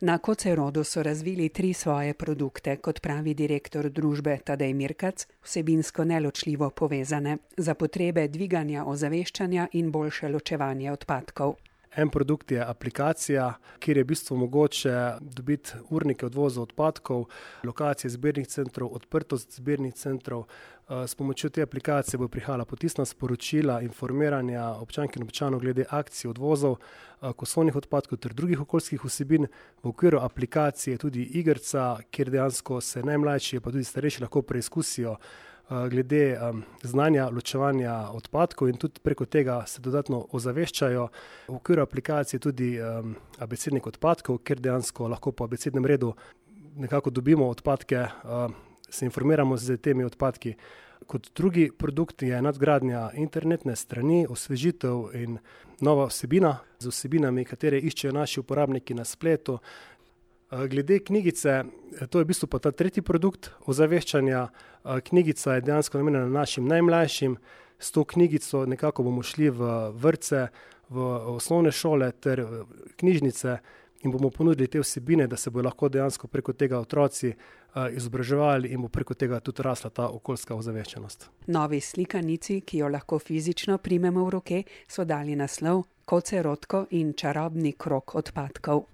Na Kocerodu so razvili 3 svoje produkte, kot pravi direktor družbe Tadej Mirkac, vsebinsko neločljivo povezane, za potrebe dviganja ozaveščanja in boljše ločevanje odpadkov. En produkt je aplikacija, kjer je v bistvu mogoče dobiti urnike odvoza odpadkov, lokacije zbirnih centrov, odprtost zbirnih centrov. S pomočjo te aplikacije bo prihajala potisna sporočila, informiranja občank in občanov glede akcij odvozov, kosovnih odpadkov ter drugih okoljskih vsebin. V okviru aplikacije tudi igrca, kjer dejansko se najmlajši pa tudi starejši lahko preizkusijo glede znanja ločevanja odpadkov in tudi preko tega se dodatno ozaveščajo. V okviru aplikacije tudi abecednik odpadkov, kjer dejansko lahko po abecednem redu nekako dobimo odpadke, se informiramo z temi odpadki. Kot drugi produkt je nadgradnja internetne strani, osvežitev in nova vsebina z vsebinami, katere iščejo naši uporabniki na spletu. Glede knjigice, to je v bistvu pa ta tretji produkt ozaveščanja. Knjigica je dejansko namenjena našim najmlajšim. S to knjigico nekako bomo šli v vrtce, v osnovne šole ter knjižnice in bomo ponudili te vsebine, da se bodo lahko dejansko preko tega otroci izobraževali in bo preko tega tudi rasla ta okoljska ozaveščenost. Novi slikanici, ki jo lahko fizično primemo v roke, so dali naslov Kocerodko in čarobni krog odpadkov.